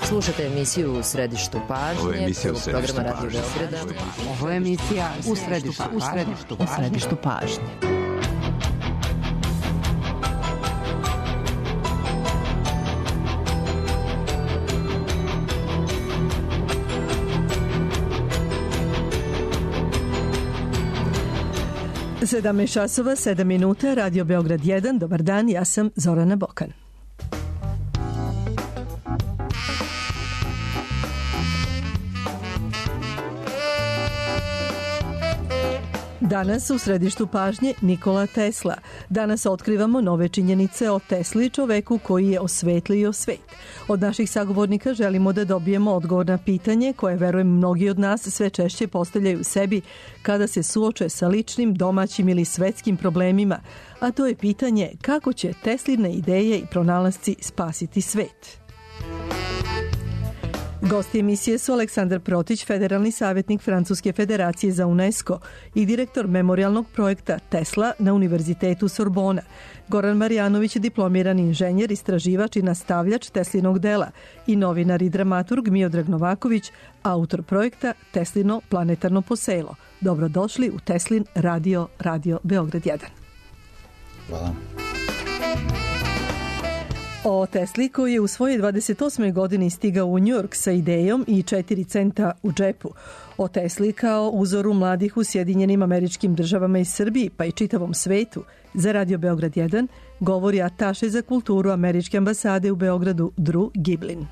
Slušate emisiju U središtu pažnje, programa Radio Beograda. Ovo je emisija U središtu pažnje. Sedam časova, 7 minuta, Radio Beograd 1. Dobar dan, ja sam Zorana Bokan. Danas u središtu pažnje Nikola Tesla. Danas otkrivamo nove činjenice o Tesli, čoveku koji je osvetlio svet. Od naših sagovornika želimo da dobijemo odgovor na pitanje koje, verujem, mnogi od nas sve češće postavljaju sebi kada se suoče sa ličnim, domaćim ili svetskim problemima, a to je pitanje kako će Tesline ideje i pronalasci spasiti svet. Gosti emisije su Aleksandar Protić, federalni savjetnik Francuske federacije za UNESCO i direktor memorialnog projekta Tesla na Univerzitetu Sorbona, Goran Marjanović, diplomirani inženjer, istraživač i nastavljač Teslinog dela i novinar i dramaturg Miodrag Novaković, autor projekta Teslino planetarno poselo. Dobrodošli u Teslin Radio Beograd 1. Hvala. O Tesli, koji je u svojoj 28. godini stigao u New York sa idejom i 4 centa u džepu. O Tesli kao uzoru mladih u Sjedinjenim Američkim Državama i Srbiji, pa i čitavom svetu, za Radio Beograd 1 govori ataše za kulturu Američke ambasade u Beogradu Drew Giblin.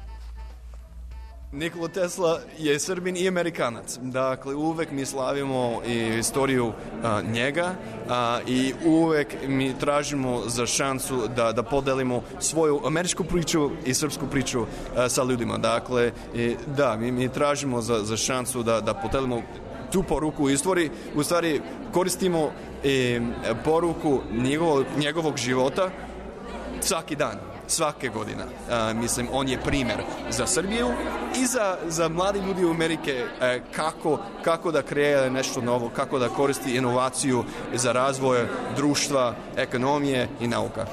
Nikola Tesla je Srbin i Amerikanac. Dakle, uvek mi slavimo i istoriju njega i uvek mi tražimo za šansu da podelimo svoju američku priču i srpsku priču sa ljudima. Dakle, da, mi tražimo za šansu da podelimo tu poruku u stvari koristimo poruku njegovog života svaki dan. Svake godine. Mislim, on je primjer za Srbiju i za mladi ljudi u Amerike kako da kreira nešto novo, kako da koristi inovaciju za razvoj društva, ekonomije i nauka.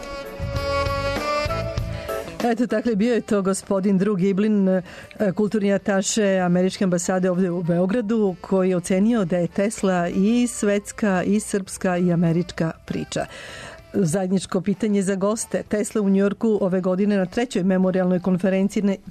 Eto, dakle, bio je to gospodin Drew Giblin, kulturni ataše Američke ambasade ovdje u Beogradu, koji je ocenio da je Tesla i svetska, i srpska, i američka priča. Zajedničko pitanje za goste. Tesla u Njujorku ove godine na 3. memorialnoj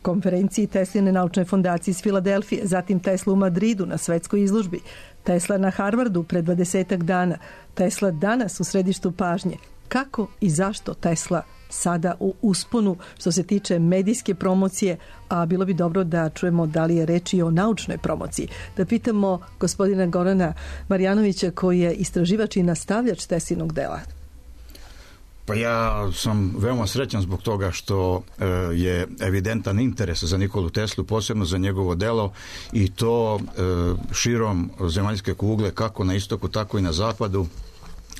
konferenciji Tesline naučne fondacije iz Filadelfije, zatim Tesla u Madridu na svetskoj izložbi, Tesla na Harvardu pred 20 dana, Tesla danas u središtu pažnje. Kako i zašto Tesla sada u usponu što se tiče medijske promocije, a bilo bi dobro da čujemo da li je reč i o naučnoj promociji. Da pitamo gospodina Gorana Marjanovića, koji je istraživač i nastavljač Teslinog dela. Pa ja sam veoma srećan zbog toga što je evidentan interes za Nikolu Teslu, posebno za njegovo delo, i to širom zemaljske kugle, kako na istoku, tako i na zapadu,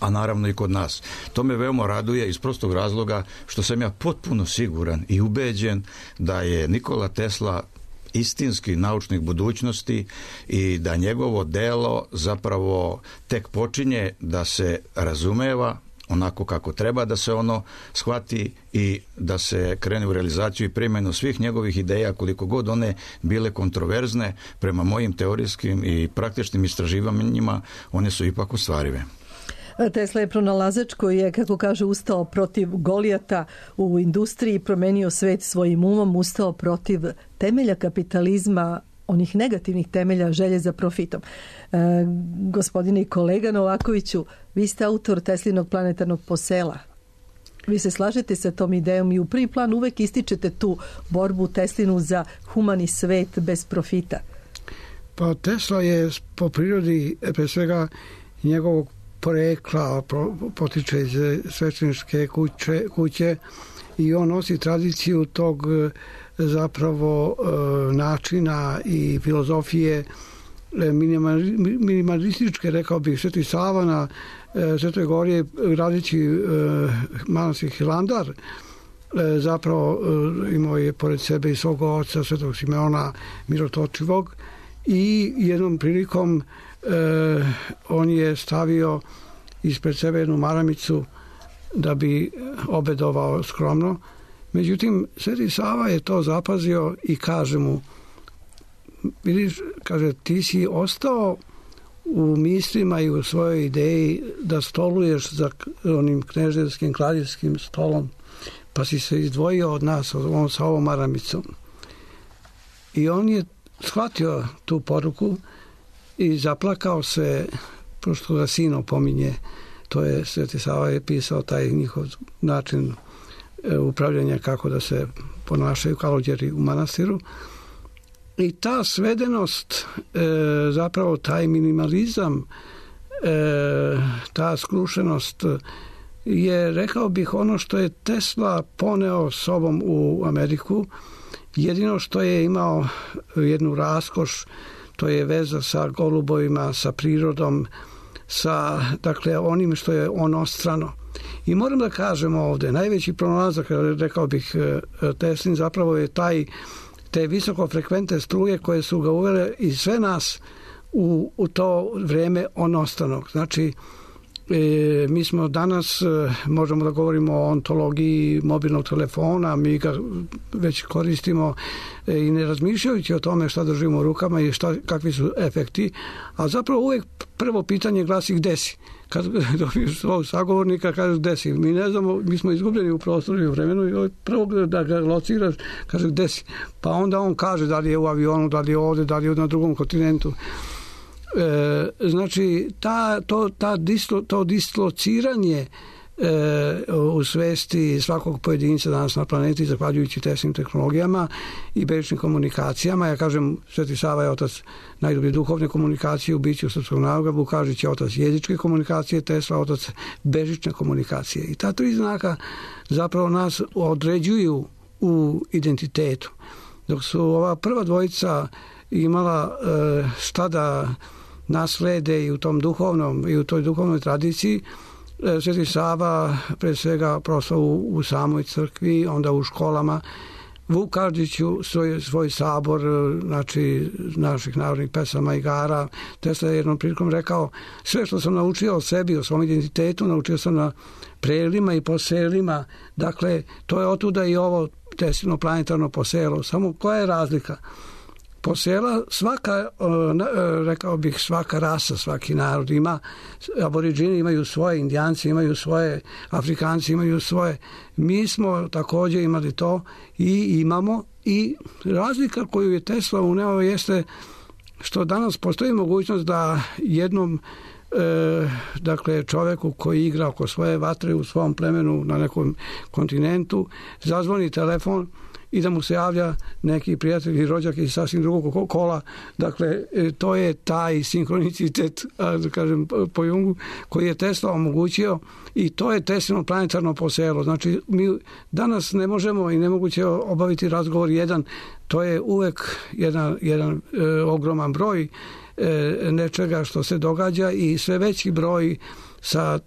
a naravno i kod nas. To me veoma raduje iz prostog razloga što sam ja potpuno siguran i ubeđen da je Nikola Tesla istinski naučnik budućnosti i da njegovo delo zapravo tek počinje da se razumeva onako kako treba da se ono shvati i da se krene u realizaciju i primjenu svih njegovih ideja, koliko god one bile kontroverzne prema mojim teorijskim i praktičnim istraživanjima, one su ipak ostvarive. Tesla je pronalazač koji je, kako kaže, ustao protiv Golijata u industriji, promenio svet svojim umom, ustao protiv temelja kapitalizma, onih negativnih temelja želje za profitom. Gospodine i kolega Novakoviću, vi ste autor Teslinog planetarnog posela. Vi se slažete sa tom idejom i u prvi plan uvek ističete tu borbu Teslinu za humani svet bez profita. Pa Tesla je po prirodi, pre svega njegovog porekla, potiče iz svećeničke kuće i on nosi tradiciju tog zapravo načina i filozofije minimalističke, rekao bih. Sveti Sava na Svetoj Gori, gradeći manastir Hilandar, zapravo imao je pored sebe i svog oca Svetog Simeona Mirotočivog i jednom prilikom on je stavio ispred sebe jednu maramicu da bi obedovao skromno Međutim, Sveti Sava je to zapazio i kaže mu, vidiš, kaže, ti si ostao u mislima i u svojoj ideji da stoluješ za onim kneževskim kraljevskim stolom, pa si se izdvojio od nas sa ovom maramicom. I on je shvatio tu poruku i zaplakao se, pošto ga sino pominje, to je Sveti Sava je pisao taj njihov način upravljanja, kako da se ponašaju kalođeri u manastiru. I ta svedenost, zapravo taj minimalizam, ta skrušenost je, rekao bih, ono što je Tesla poneo sobom u Ameriku. Jedino što je imao jednu raskoš, to je veza sa golubovima, sa prirodom, sa, dakle, onim što je onostrano. I moram da kažem ovde, najveći pronalazak, rekao bih, Teslin zapravo je te visokofrekventne struje koje su ga uvele i sve nas u to vreme onostranog. Znači, mi smo danas, možemo da govorimo o ontologiji mobilnog telefona, mi ga već koristimo i ne razmišljajući o tome šta držimo u rukama i kakvi su efekti, a zapravo uvek prvo pitanje glasi gde si. Kad dobiješ svog sagovornika, kažeš gde si. Mi ne znamo, mi smo izgubljeni u prostoru i u vremenu i prvo da ga lociraš, kaže gde si. Pa onda on kaže da li je u avionu, da li je ovde, da li je na drugom kontinentu. Znači, to dislociranje u svesti svakog pojedinca danas na planeti, zahvaljujući Teslinim tehnologijama i bežičnim komunikacijama. Ja kažem, Sveti Sava je otac najdublje duhovne komunikacije u biću srpskog naroda, Vukažić je otac jezičke komunikacije, Tesla otac bežične komunikacije. I ta tri znaka zapravo nas određuju u identitetu. Dok su ova prva dvojica imala šta da naslede i u tom duhovnom i u toj duhovnoj tradiciji, Sveti Sava pre svega prosto u samoj crkvi, onda u školama, Vukažiću svoj sabor, znači naših narodnih pesama i igara. Tesla je jednom prilikom rekao, sve što sam naučio o sebi, o svom identitetu, naučio sam na prelima i poselima. Dakle, to je otuda i ovo Teslino planetarno poselo. Samo koja je razlika? Posela svaka, rekao bih, svaka rasa, svaki narod ima, aboriđini imaju svoje, indijanci imaju svoje, Afrikanci imaju svoje. Mi smo također imali to i imamo, i razlika koju je Tesla uneo jeste što danas postoji mogućnost da jednom dakle čoveku koji igra oko svoje vatre u svom plemenu na nekom kontinentu zazvoni telefon i da mu se javlja neki prijatelj i rođak iz sasvim drugog kola. Dakle, to je taj sinkronicitet, da kažem po Jungu, koji je Tesla omogućio, i to je Teslino planetarno poselo. Znači, mi danas ne možemo i nemoguće obaviti razgovor jedan, to je uvek jedan ogroman broj nečega što se događa i sve veći broj sa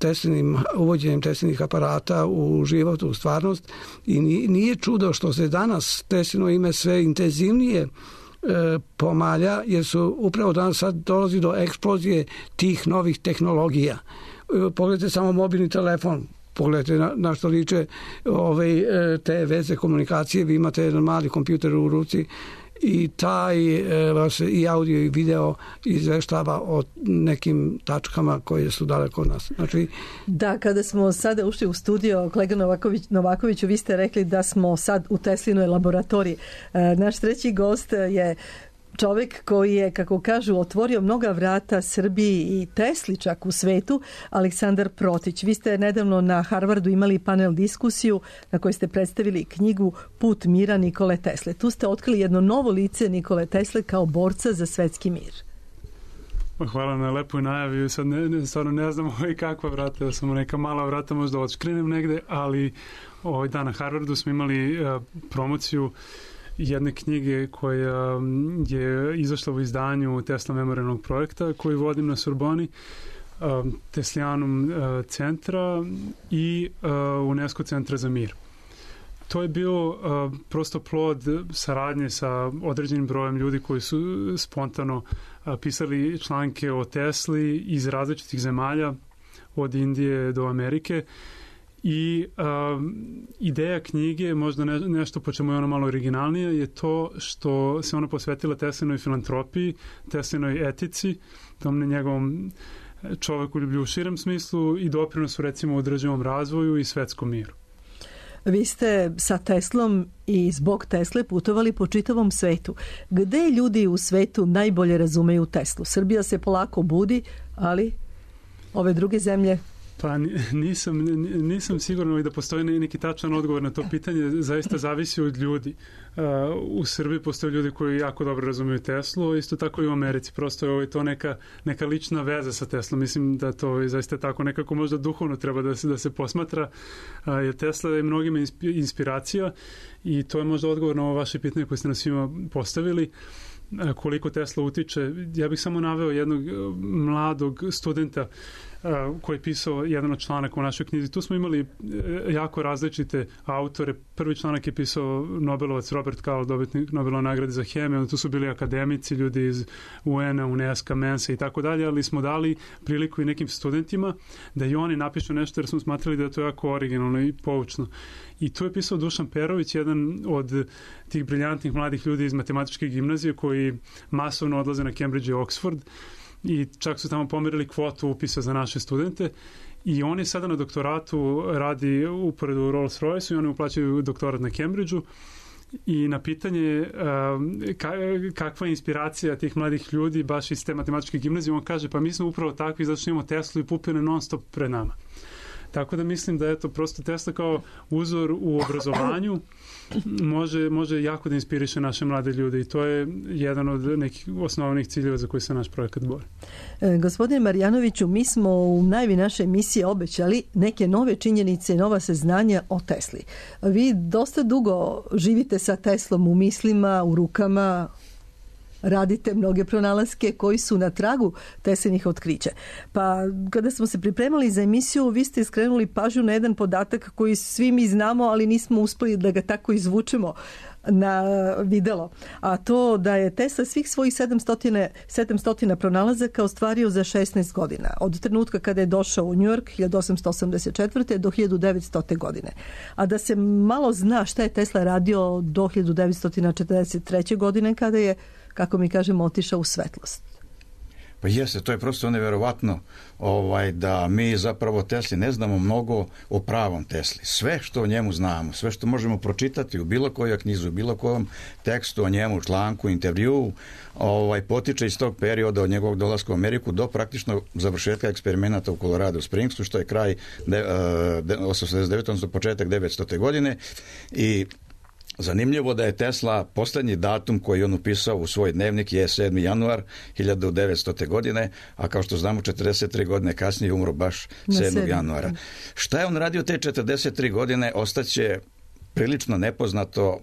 uvođenjem Teslinih aparata u život, u stvarnost, i nije čudo što se danas Teslino ime sve intenzivnije pomalja, jer su upravo danas sad dolazi do eksplozije tih novih tehnologija. Pogledajte samo mobilni telefon, pogledajte na što liče te veze komunikacije, vi imate jedan mali kompjuter u ruci i taj vas i audio i video izveštava o nekim tačkama koje su daleko od nas. Znači, da, kada smo sada ušli u studio, kolega Novakoviću, vi ste rekli da smo sad u Teslinoj laboratoriji. Naš treći gost je čovjek koji je, kako kažu, otvorio mnoga vrata Srbiji i Tesli čak u svetu, Aleksandar Protić. Vi ste nedavno na Harvardu imali panel diskusiju na kojoj ste predstavili knjigu Put mira Nikole Tesle. Tu ste otkrili jedno novo lice Nikole Tesle kao borca za svetski mir. Hvala na lepoj najavi. Sad stvarno ne znam kakva vrata, samo neka mala vrata, možda odškrenem negde, ali na Harvardu smo imali promociju jedne knjige koja je izašla u izdanju Tesla memorialnog projekta koji vodim na Sorboni, Teslijanum centra i UNESCO centra za mir. To je bio prosto plod saradnje sa određenim brojem ljudi koji su spontano pisali članke o Tesli iz različitih zemalja, od Indije do Amerike, I ideja knjige, možda nešto po čemu je ona malo originalnije, je to što se ona posvetila Teslinoj filantropiji, Teslinoj etici, tom njegovom čovekoljublju u širem smislu i doprinosu recimo održivom razvoju i svetskom miru. Vi ste sa Teslom i zbog Tesle putovali po čitavom svetu. Gde ljudi u svetu najbolje razumeju Teslu? Srbija se polako budi, ali ove druge zemlje... Pa nisam siguran da postoji neki tačan odgovor na to pitanje. Zaista zavisi od ljudi. U Srbiji postoje ljudi koji jako dobro razumiju Teslu, isto tako i u Americi. Prosto je to neka lična veza sa Teslom. Mislim da to je zaista tako nekako možda duhovno treba da se posmatra. Jer Tesla je mnogima inspiracija i to je možda odgovor na ovo vaše pitanje koje ste nas svima postavili. Koliko Tesla utiče. Ja bih samo naveo jednog mladog studenta koji je pisao jedan od članaka u našoj knjizi. Tu smo imali jako različite autore. Prvi članak je pisao Nobelovac Robert Call, dobitnik Nobelove nagrade za hemiju. Tu su bili akademici, ljudi iz UN-a, UNESCO, Mensa i tako dalje, ali smo dali priliku i nekim studentima da i oni napišu nešto jer smo smatrali da je to jako originalno i poučno. I tu je pisao Dušan Perović, jedan od tih briljantnih mladih ljudi iz matematičke gimnazije koji masovno odlaze na Cambridge i Oxford i čak su tamo pomerili kvotu upisa za naše studente i on je sada na doktoratu, radi uporedu u Rolls-Royce i oni uplaćaju doktorat na Cambridgeu i na pitanje kakva je inspiracija tih mladih ljudi baš iz te matematičke gimnazije, on kaže pa mi smo upravo takvi zato što imamo Teslu i pupine non stop pred nama. Tako da mislim da je to prosto Tesla kao uzor u obrazovanju može jako da inspiriše naše mlade ljude i to je jedan od nekih osnovnih ciljeva za koji se naš projekat bori. Gospodine Marjanoviću, mi smo u najavi naše emisije obećali neke nove činjenice, nova saznanja o Tesli. Vi dosta dugo živite sa Teslom u mislima, u rukama, radite mnoge pronalaske koji su na tragu Teslinih otkrića. Pa kada smo se pripremali za emisiju, vi ste skrenuli pažnju na jedan podatak koji svi mi znamo, ali nismo uspeli da ga tako izvučemo na videlo. A to da je Tesla svih svojih 700 pronalazaka ostvario za 16 godina. Od trenutka kada je došao u New York 1884. do 1900. godine. A da se malo zna šta je Tesla radio do 1943. godine kada je, kako mi kažemo, otišao u svetlost. Pa jeste, to je prosto neverovatno da mi zapravo Tesli ne znamo mnogo o pravom Tesli. Sve što o njemu znamo, sve što možemo pročitati u bilo kojoj knjizi, u bilo kojem tekstu o njemu, članku, intervjuu, potiče iz tog perioda od njegovog dolaska u Ameriku do praktično završetka eksperimenata u Colorado Springsu, što je kraj 89. odnosno početak 900. godine i zanimljivo da je Tesla posljednji datum koji on upisao u svoj dnevnik je 7. januar 1900. godine, a kao što znamo 43 godine kasnije umro baš 7. januara. Šta je on radio te 43 godine ostaće prilično nepoznato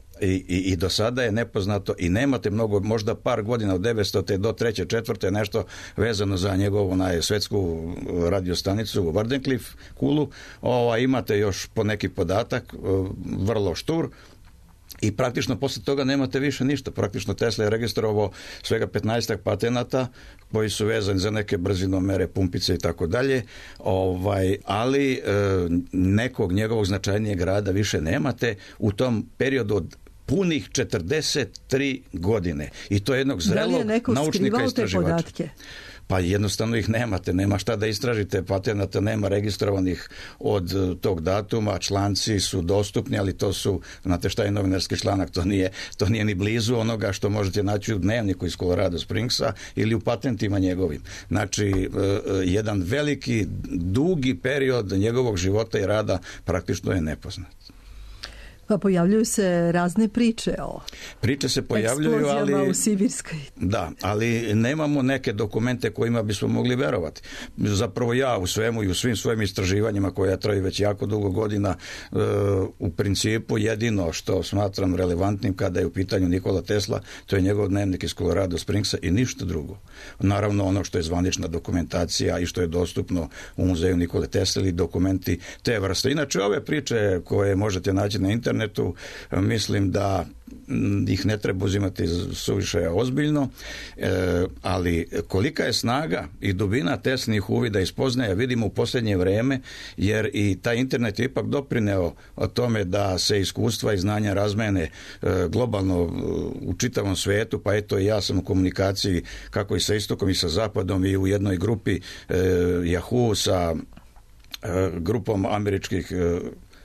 i do sada je nepoznato i nemate mnogo, možda par godina od 900. do 3. 4. nešto vezano za njegovu svetsku radiostanicu u Wardenclyffe kulu. Imate još po neki podatak, vrlo štur. I praktično posle toga nemate više ništa. Praktično Tesla je registrovao svega 15 patenata koji su vezani za neke brzinomere, pumpice i tako dalje, ali nekog njegovog značajnijeg rada više nemate u tom periodu od punih 43 godine. I to je jednog zrelog naučnika istraživača. Pa jednostavno ih nemate, nema šta da istražite, patenata nema registrovanih od tog datuma, članci su dostupni, ali to su, znate šta je novinarski članak, to nije ni blizu onoga što možete naći u dnevniku iz Colorado Springsa ili u patentima njegovim. Znači, jedan veliki, dugi period njegovog života i rada praktično je nepoznat. Pa pojavljuju se razne priče o eksplozijama u Sibirskoj. Da, ali nemamo neke dokumente kojima bismo mogli verovati. Zapravo ja u svemu i u svim svojim istraživanjima koja traju već jako dugo godina, u principu jedino što smatram relevantnim kada je u pitanju Nikola Tesla, to je njegov dnevnik iz Colorado Springsa i ništa drugo. Naravno ono što je zvanična dokumentacija i što je dostupno u muzeju Nikole Tesla ili dokumenti te vrste. Inače ove priče koje možete naći na internetu, mislim da ih ne treba uzimati suviše ozbiljno, ali kolika je snaga i dubina Teslinih uvida i spoznaja vidimo u posljednje vrijeme, jer i taj internet je ipak doprineo o tome da se iskustva i znanja razmene globalno u čitavom svijetu, pa eto i ja sam u komunikaciji kako i sa istokom i sa zapadom i u jednoj grupi Yahoo sa grupom američkih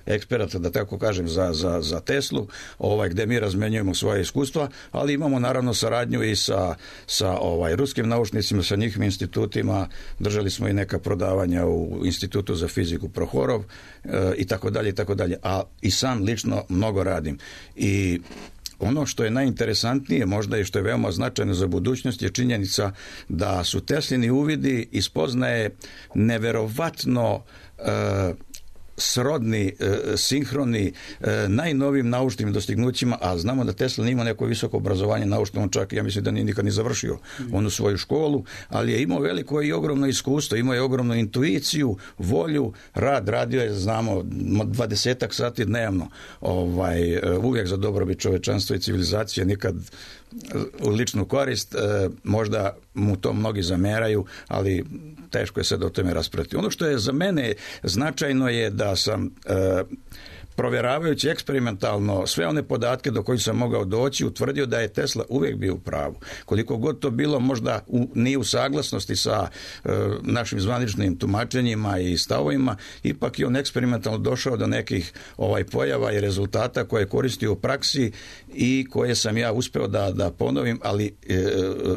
eksperata, da tako kažem, za Teslu, gdje mi razmenjujemo svoje iskustva, ali imamo naravno saradnju i sa ruskim naučnicima, sa njihovim institutima, držali smo i neka prodavanja u Institutu za fiziku Prohorov i tako dalje, a i sam lično mnogo radim. I ono što je najinteresantnije možda i što je veoma značajno za budućnost je činjenica da su Teslini uvidi i spoznaje neverovatno srodni, sinhroni najnovijim naučnim dostignućima, a znamo da Tesla nije imao neko visoko obrazovanje naučno, on čak, ja mislim da nije nikad ni završio onu svoju školu, ali je imao veliko i ogromno iskustvo, imao je ogromnu intuiciju, volju, radio je, znamo, 20 sati dnevno, uvijek za dobrobit čovečanstva i civilizacije, nikad u ličnu korist, možda mu to mnogi zameraju, ali teško je sad o tome raspraviti. Ono što je za mene značajno je da sam provjeravajući eksperimentalno sve one podatke do kojih sam mogao doći, utvrdio da je Tesla uvijek bio u pravu. Koliko god to bilo možda nije u saglasnosti sa našim zvaničnim tumačenjima i stavovima, ipak je on eksperimentalno došao do nekih pojava i rezultata koje je koristio u praksi i koje sam ja uspeo da ponovim, ali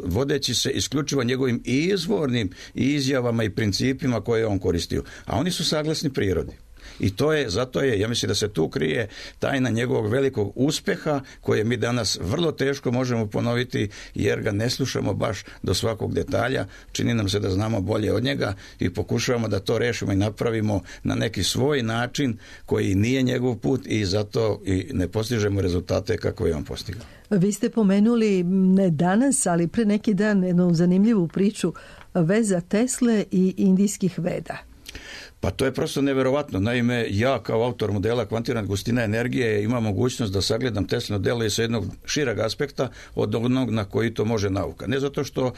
vodeći se isključivo njegovim izvornim izjavama i principima koje je on koristio. A oni su saglasni prirodi. I zato je, ja mislim da se tu krije tajna njegovog velikog uspjeha koje mi danas vrlo teško možemo ponoviti jer ga ne slušamo baš do svakog detalja. Čini nam se da znamo bolje od njega i pokušavamo da to rešimo i napravimo na neki svoj način koji nije njegov put i zato i ne postižemo rezultate kako je on postigao. Vi ste pomenuli ne danas, ali pre neki dan jednu zanimljivu priču veza Tesle i indijskih Veda. Pa to je prosto neverovatno. Naime, ja kao autor modela kvantirane gustine energije imam mogućnost da sagledam Teslino delo i sa jednog šireg aspekta od onog na koji to može nauka. Ne zato što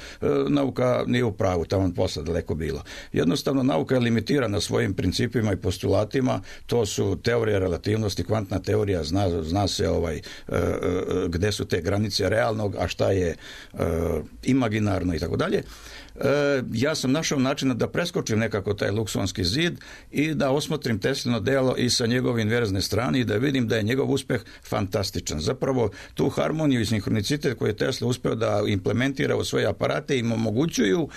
nauka nije u pravu, tamo posle daleko bilo. Jednostavno, nauka je limitirana svojim principima i postulatima. To su teorija relativnosti, kvantna teorija, zna se gde su te granice realnog, a šta je imaginarno i tako dalje. Ja sam našao načina da preskočim nekako taj luksonski zid i da osmotrim Teslino delo i sa njegove inverzne strane i da vidim da je njegov uspjeh fantastičan. Zapravo tu harmoniju i sinhronicitet koji je Tesla uspeo da implementira u svoje aparate im omogućuju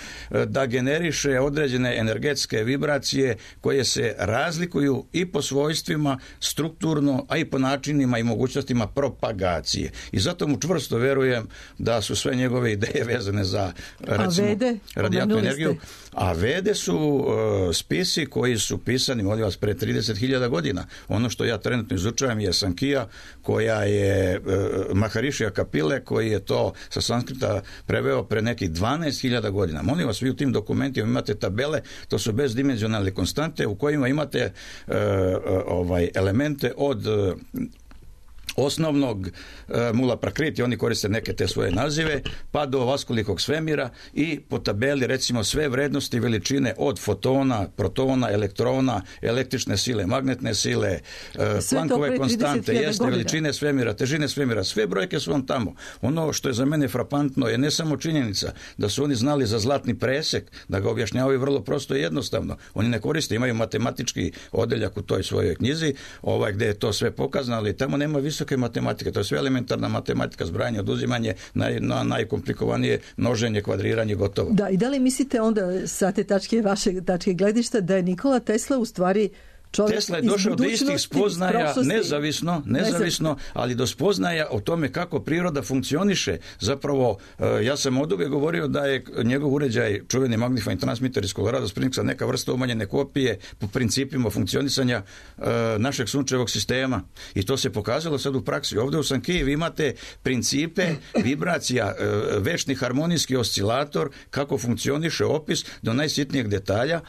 da generiše određene energetske vibracije koje se razlikuju i po svojstvima strukturno, a i po načinima i mogućnostima propagacije. I zato mu čvrsto verujem da su sve njegove ideje vezane za, recimo, radijatnu energiju. A Vede su spisi koji su pisani, molim vas, pre 30.000 godina. Ono što ja trenutno izučavam je Sankija, koja je Maharišija Kapile, koji je to sa sanskrita preveo pre nekih 12.000 godina. Molim vas, vi u tim dokumentima imate tabele, to su bezdimenzionalne konstante u kojima imate elemente od osnovnog mula prakriti, oni koriste neke te svoje nazive, pa do vaskolikog svemira i po tabeli recimo sve vrednosti veličine od fotona, protona, elektrona, električne sile, magnetne sile, Planckove konstante, veličine svemira, težine svemira, sve brojke su vam tamo. Ono što je za mene frapantno je ne samo činjenica da su oni znali za zlatni presek, da ga objašnjavaju vrlo prosto i jednostavno. Oni ne koriste, imaju matematički odeljak u toj svojoj knjizi, gdje je to sve pokazano, ali tamo nema visoke matematike, to je sve elementarna matematika, zbrajanje, oduzimanje, najkomplikovanije množenje, kvadriranje, gotovo. Da, i da li mislite onda sa te vaše tačke gledišta da je Nikola Tesla u stvari Tesla je došao do istih spoznaja nezavisno, ali do spoznaja o tome kako priroda funkcioniše. Zapravo, ja sam oduvijek govorio da je njegov uređaj, čuveni magnifying transmitter iz Colorado Springsa, neka vrsta umanjene kopije po principima funkcionisanja našeg sunčevog sistema. I to se pokazalo sad u praksi. Ovdje u Sankiji vi imate principe vibracija, večni harmonijski oscilator, kako funkcioniše opis do najsitnijeg detalja.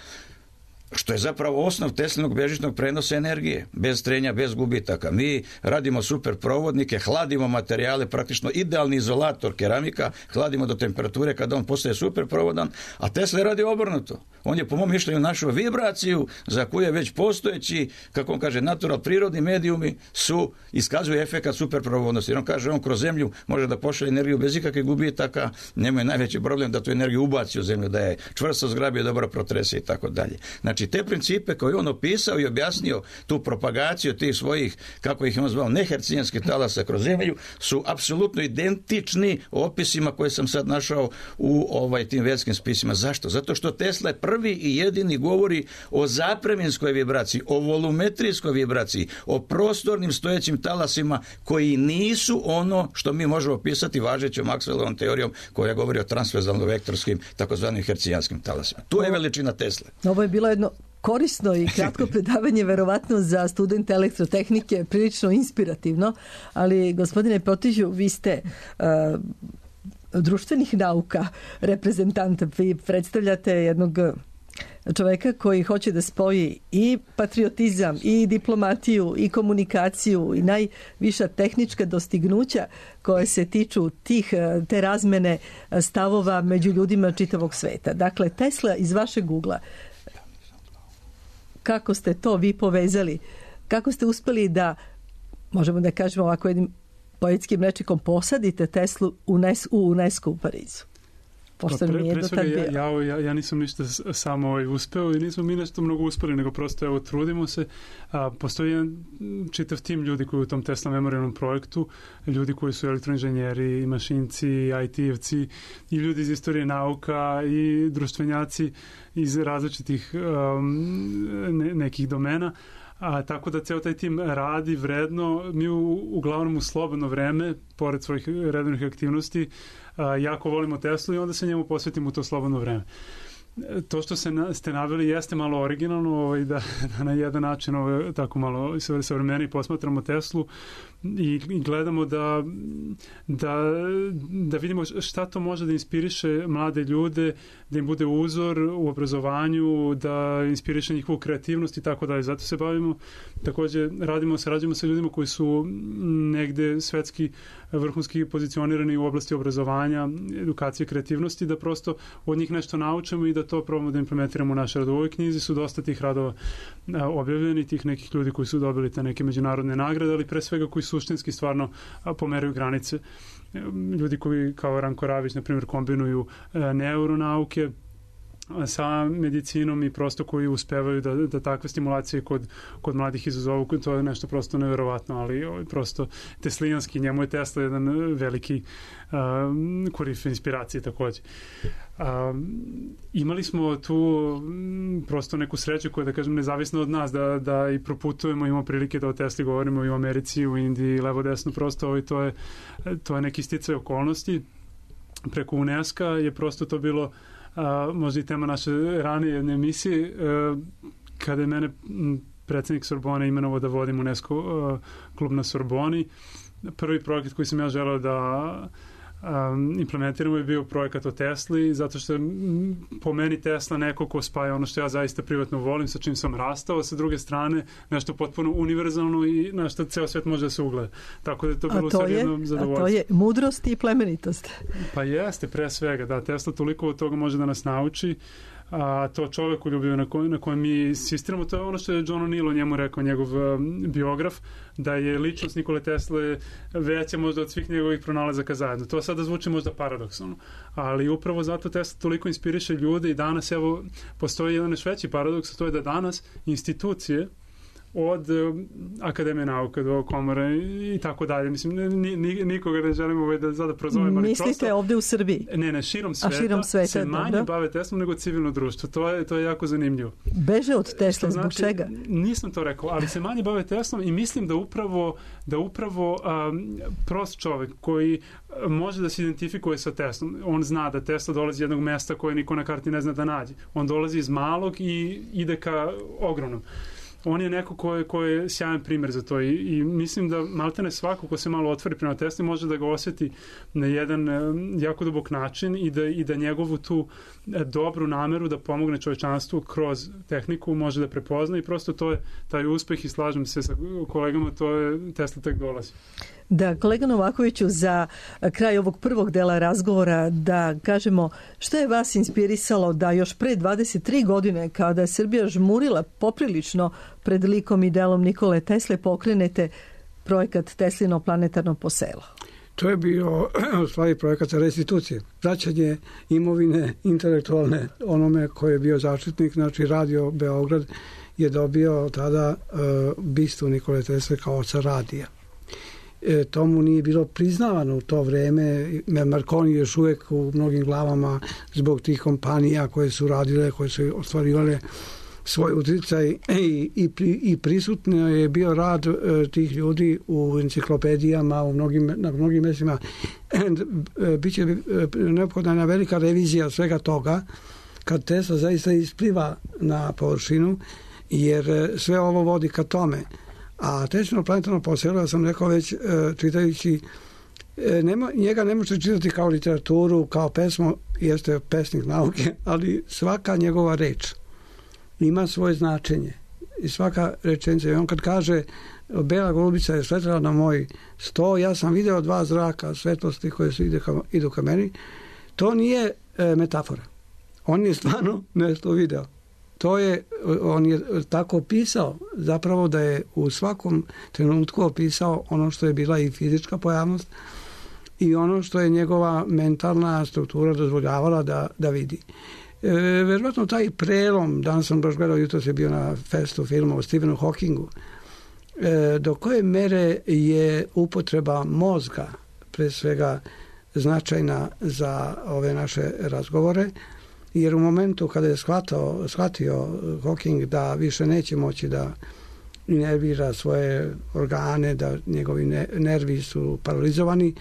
što je zapravo osnov Teslinog bežičnog prenosa energije, bez trenja, bez gubitaka. Mi radimo super provodnike, hladimo materijale, praktično idealni izolator keramika, hladimo do temperature kada on postaje super provodan, a Tesla radi obrnuto. On je po mom mišljenju našao vibraciju za koju je već postojeći, kako on kaže, natural, prirodni medijumi iskazuje efekat super provodnosti. Jer on kaže, on kroz zemlju može da pošalje energiju bez ikakvih gubitaka, njemu je najveći problem da tu energiju ubaci u zemlju, da je čvrsto zgrabi, dobro protrese i tako dalje. Znači, te principe koje on opisao i objasnio, tu propagaciju tih svojih, kako ih on zvao, nehercijanskih talasa kroz zemlju, su apsolutno identični opisima koje sam sad našao u tim vedskim spisima. Zašto? Zato što Tesla je prvi i jedini govori o zapreminskoj vibraciji, o volumetrijskoj vibraciji, o prostornim stojećim talasima koji nisu ono što mi možemo opisati važećom Maxwellovom teorijom koja govori o transverzalno-vektorskim takozvanim hercijanskim talasima. Tu je veličina Tesle. Ovo je bilo jedno korisno i kratko predavanje, verovatno za studente elektrotehnike, prilično inspirativno, ali gospodine Potižu, vi ste društvenih nauka reprezentant, vi predstavljate jednog čoveka koji hoće da spoji i patriotizam, i diplomatiju, i komunikaciju, i najviša tehnička dostignuća koje se tiču te razmene stavova među ljudima čitavog sveta. Dakle, Tesla iz vašeg ugla, kako ste to vi povezali? Kako ste uspeli da, možemo da kažemo ovako jednim poetskim rečnikom, posadite Teslu u UNESCO u Parizu? Pre svega ja nisam ništa samo uspeo i nismo mi nešto mnogo uspeli, nego prosto trudimo se. Postoji jedan čitav tim ljudi koji u tom Tesla memorialnom projektu, ljudi koji su elektroinženjeri, mašinci, IT-evci i ljudi iz istorije nauka i društvenjaci iz različitih nekih domena. Tako da ceo taj tim radi vredno. Mi uglavnom u slobodno vreme, pored svojih redovnih aktivnosti, jako volimo Teslu i onda se njemu posvetimo u to slobodno vreme. To što ste naveli jeste malo originalno, da na jedan način tako malo savremeniji posmatramo Teslu i gledamo da vidimo šta to može da inspiriše mlade ljude, da im bude uzor u obrazovanju, da inspiriše njihovu kreativnost i tako dalje. Zato se bavimo, takođe sarađujemo sa ljudima koji su negde svetski vrhunski pozicionirani u oblasti obrazovanja, edukacije i kreativnosti, da prosto od njih nešto naučimo i da to probamo da implementiramo u naše radove. U ovoj knjizi su dosta tih radova objavljeni, tih nekih ljudi koji su dobili te neke međunarodne nagrade, ali pre svega koji suštinski stvarno pomeraju granice. Ljudi koji kao Ranko Ravić, na primjer, kombinuju neuronauke sa medicinom i prosto koji uspevaju da takve stimulacije kod mladih izazovu, to je nešto prosto neverovatno, ali prosto teslijanski, njemu je Tesla jedan veliki korife inspiracije takođe. Imali smo tu prosto neku sreću koja, da kažem, nezavisno od nas, da i proputujemo, imamo prilike da o Tesli govorimo i u Americi, u Indiji, levo desno, prosto to je neki sticaj okolnosti. Preko UNESCO je prosto to bilo možda i tema naše ranije jedne emisije, kada je mene predsjednik Sorbone imenovao da vodim UNESCO klub na Sorboni. Prvi projekat koji sam ja želeo da implementiramo je bio projekat o Tesli, zato što je po meni Tesla neko ko spaja ono što ja zaista privatno volim, sa čim sam rastao, sa druge strane nešto potpuno univerzalno i na što ceo svet može da se ugleda. Tako da je to bilo sve jedno zadovoljstvo. A to je mudrost i plemenitost. Pa jeste, pre svega, da, Tesla toliko od toga može da nas nauči, a to čovekoljubivo na kojem mi insistiramo, to je ono što je John O'Neill o njemu rekao, njegov biograf, da je ličnost Nikole Tesle veća možda od svih njegovih pronalazaka zajedno. To sada zvuči možda paradoksalno, ali upravo zato Tesla toliko inspiriše ljude i danas, evo, postoji jedan još veći paradoks, to je da danas institucije od Akademije nauka do komore i tako dalje. Mislim, nikoga ne želimo da sada prozovem. Mislite ovde u Srbiji? Ne, širom sveta se manje bave Teslom nego civilno društvo. To je jako zanimljivo. Beže od Tesla, zbog čega? Nisam to rekao, ali se manje bave Teslom i mislim da upravo prost čovek koji može da se identifikuje sa Teslom, on zna da Tesla dolazi iz jednog mesta koje niko na karti ne zna da nađe. On dolazi iz malog i ide ka ogromnom. on je neko ko je sjajan primjer za to i mislim da maltene svako ko se malo otvori prema Tesli može da ga osjeti na jedan jako dubok način i da njegovu tu dobru nameru da pomogne čovečanstvu kroz tehniku može da prepozna i prosto to je taj uspeh i slažem se sa kolegama, to je Tesla tek dolazi. Da, kolega Novakoviću, za kraj ovog prvog dela razgovora da kažemo što je vas inspirisalo da još pre 23 godine kada je Srbija žmurila poprilično pred likom i delom Nikole Tesle pokrenete projekat Teslino planetarno poselo? To je bio u stvari projekat restitucije. Vraćanje imovine intelektualne onome koji je bio zaštitnik, znači Radio Beograd je dobio tada bistu Nikole Tesle kao oca radija. Tomu nije bilo priznavano u to vreme. Marconi je još uvijek u mnogim glavama zbog tih kompanija koje su radile, koje su ostvarivale svoj uticaj i prisutno je bio rad tih ljudi u enciklopedijama, na mnogim mjestima. Biće neophodna jedna velika revizija svega toga kad Tesla zaista ispliva na površinu, jer sve ovo vodi ka tome. A Teslino planetarno poselo, ja sam rekao već čitajući, njega ne možete čitati kao literaturu, kao pesmu, jeste pesnik nauke, ali svaka njegova reč ima svoje značenje i svaka rečenica. I on kad kaže bela golubica je sletela na moj sto, ja sam video 2 zraka svetlosti koje su idu ka meni, to nije metafora. On je stvarno nešto video. On je tako opisao zapravo da je u svakom trenutku opisao ono što je bila i fizička pojavnost i ono što je njegova mentalna struktura dozvoljavala da vidi. Verovatno taj prelom, danas sam baš gledao, jutros je bio na festu filma o Stephenu Hawkingu, do koje mere je upotreba mozga pre svega značajna za ove naše razgovore, jer u momentu kada je shvatio Hawking da više neće moći da inervira svoje organe, da njegovi nervi su paralizovani,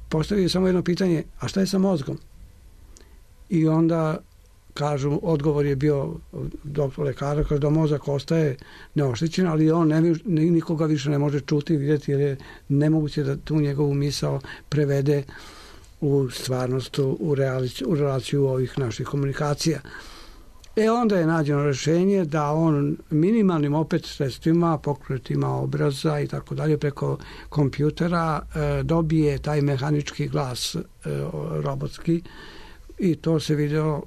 postavio samo jedno pitanje, a šta je sa mozgom? I onda kažu, odgovor je bio doktor lekara, kaže da mozak ostaje neoštećen, ali on nikoga više ne može čuti i vidjeti, jer je nemoguće da tu njegovu misao prevede u stvarnost, u relaciju ovih naših komunikacija. Onda je nađeno rješenje da on minimalnim opet sredstvima, pokretima obraza i tako dalje preko kompjutera dobije taj mehanički glas robotski i to se video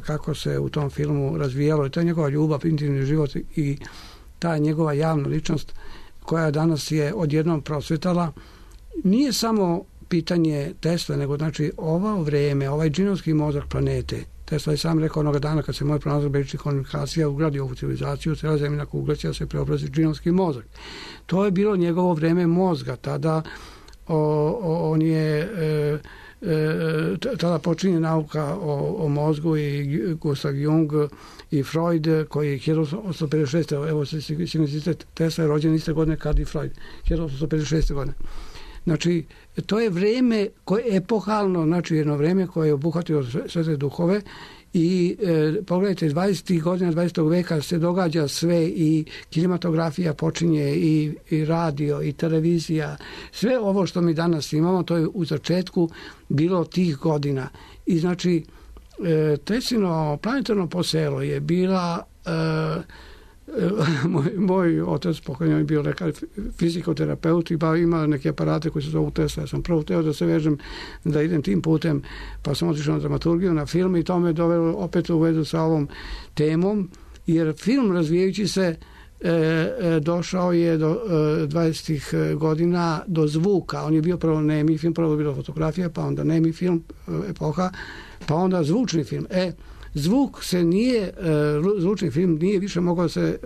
kako se u tom filmu razvijalo i to je njegova ljubav, intimni život i ta njegova javna ličnost koja danas je odjednom prosvetala. Nije samo pitanje Tesla, nego znači ovo vrijeme, ovaj džinovski mozak planete. Tesla je sam rekao onoga dana kad se moj pronalazak bežičnih komunikacija ugradio ovu civilizaciju, cijela zemljina kugla će da se preobrazi džinovski mozak. To je bilo njegovo vrijeme mozga. Tada on je tada počinje nauka o mozgu i Gustav Jung i Freud koji je 1856. Evo se signicitet, Tesla je rođen iste godine kad i Freud. 1856. godine. Znači, to je vrijeme koje je epohalno, znači jedno vrijeme koje je obuhvatilo sve te duhove i pogledajte, 20. godina 20. veka se događa sve i kinematografija počinje i radio i televizija. Sve ovo što mi danas imamo, to je u začetku bilo tih godina. I znači, Teslino planetarno poselo je bila... Moj otac pokojni je bio lekar, fizikoterapeut i ima neke aparate koji se zovu Tesla. Ja sam prvo teo da se vežem da idem tim putem, pa sam otišao na dramaturgiju, na film i to me dovelo opet u vezu sa ovom temom, jer film razvijajući se došao je do 20. godina do zvuka. On je bio prvo nemi film, prvo je bila fotografija, pa onda nemi film, epoha, pa onda zvučni film. Zvuk se nije, zvučni film nije više mogao se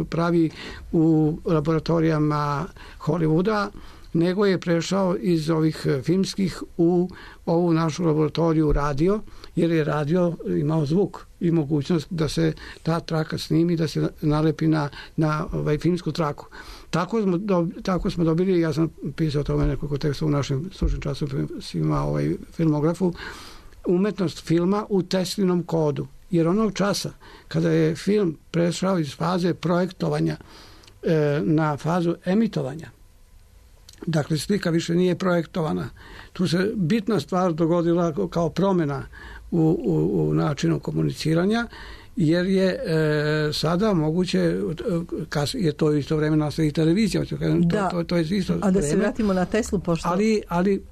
pravi u laboratorijama Hollywooda, nego je prešao iz ovih filmskih u ovu našu laboratoriju radio, jer je radio imao zvuk i mogućnost da se ta traka snimi, da se nalepi na filmsku traku. Tako smo dobili, ja sam pisao o tome nekoliko teksta u našem stručnim časopisima filmografu, umetnost filma u Teslinom kodu. jer onog časa kada je film prešao iz faze projektovanja na fazu emitovanja, dakle slika više nije projektovana, tu se bitna stvar dogodila kao promjena u načinu komuniciranja, jer je sada moguće, je to isto vreme nastavi televizija, to je isto a da vreme. Se vratimo na Teslu, pošto... Ali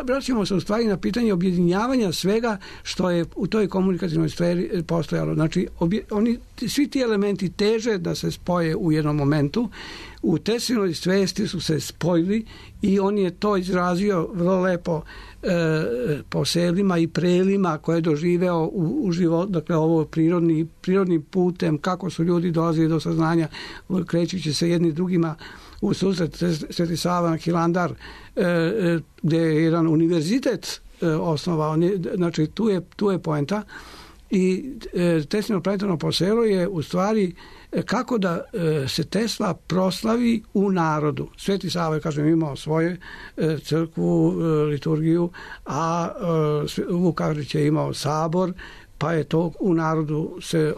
vraćamo se u stvari na pitanje objedinjavanja svega što je u toj komunikativnoj sferi postojalo. Znači, svi ti elementi teže da se spoje u jednom momentu. U Teslinoj svesti su se spojili i on je to izrazio vrlo lepo po selima i prelima koje je doživeo u život, dakle ovo prirodnim putem, kako su ljudi dolazili do saznanja krećući se jedni drugima u susret. Sveti Sava Hilandar, gdje je jedan univerzitet osnovao, znači tu je poenta. I Teslino planetarno poselo je u stvari kako da se Tesla proslavi u narodu. Sveti Sava, kažem, imao svoju crkvu, liturgiju, a Vukašić je imao sabor, pa je to u narodu se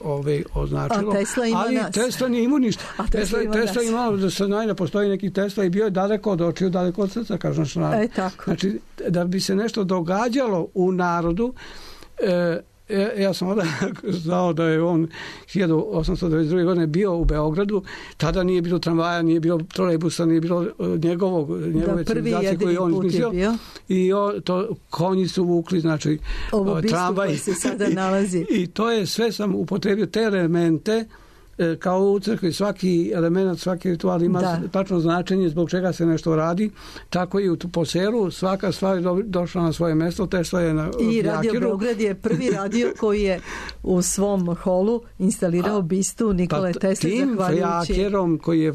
označilo. Ali Tesla nije imao ništa. Tesla imao da se da postoji neki Tesla i bio je daleko od očiju, daleko od srca, kažem što narod. Znači, da bi se nešto događalo u narodu, ja sam onda znao da je on 1892. godine bio u Beogradu, tada nije bilo tramvaja, nije bilo trolejbusa, nije bilo njegove civilizacije koje je on izmislio. I konji su vukli, znači tramvaj. Se sada nalazi. I to je sve, sam upotrebio te elemente, kao u crkvi svaki element, svaki ritual ima tačno značenje zbog čega se nešto radi, tako i po selu svaka stvar je došla na svoje mjesto. Tesla je na i Radio Beograd je prvi radio koji je u svom holu instalirao bistu Nikole Tesle, tim Fjakerom koji je